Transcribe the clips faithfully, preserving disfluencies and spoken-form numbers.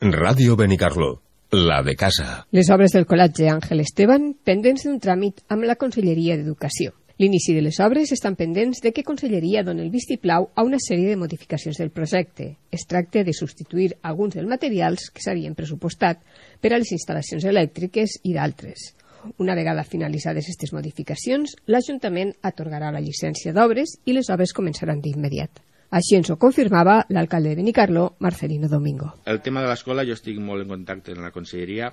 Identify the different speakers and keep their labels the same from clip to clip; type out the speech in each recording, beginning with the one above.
Speaker 1: Ràdio Benicarló, la de casa.
Speaker 2: Les obres del Col·legi Àngel Esteban pendents d'un tràmit amb la Conselleria d'Educació. L'inici de les obres estan pendents de que Conselleria doni el vistiplau a una sèrie de modificacions del projecte. Es tracta de substituir alguns dels materials que s'havien pressupostat per a les instal·lacions elèctriques i d'altres. Una vegada finalitzades aquestes modificacions, l'Ajuntament atorgarà la llicència d'obres i les obres començaran d'immediat. Així ens ho confirmava l'alcalde de Benicarló, Marcelino Domingo.
Speaker 3: El tema de l'escola, jo estic molt en contacte amb la conselleria.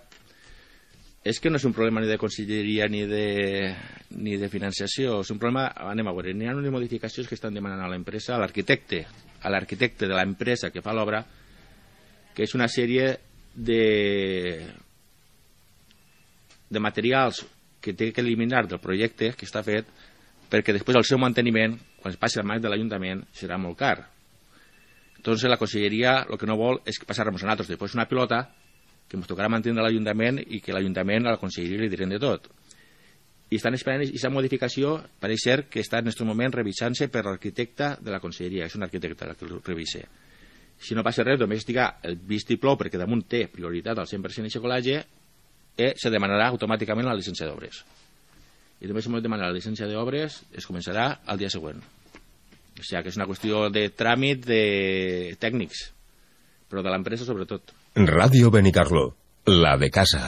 Speaker 3: És que no és un problema ni de conselleria ni de, ni de financiació, és un problema, anem a veure, n'hi ha unes modificacions que estan demanant a l'empresa, a l'arquitecte, a l'arquitecte de l'empresa que fa l'obra, que és una sèrie de, de materials que té que eliminar del projecte que està fet, perquè després el seu manteniment, quan es passi al mans de l'Ajuntament, serà molt car. Entonces la conselleria el que no vol és passar-nos a nosaltres després una pilota que ens tocarà mantenir l'Ajuntament i que l'Ajuntament a la conselleria li diran de tot. I estan esperant aquesta modificació, pareix ser que està en aquest moment revisant-se per l'arquitecte de la conselleria, és un arquitecte el que el revise. Si no passa res, només estiga el vistiplau, perquè damunt té prioritat al cent per cent i xocolage, i se demanarà automàticament la llicència d'obres. I només si hem de demanar la llicència d'obres es començarà el dia següent. O sigui que és una qüestió de tràmit de tècnics, però de l'empresa sobretot.
Speaker 1: Ràdio Benicarló, la de casa.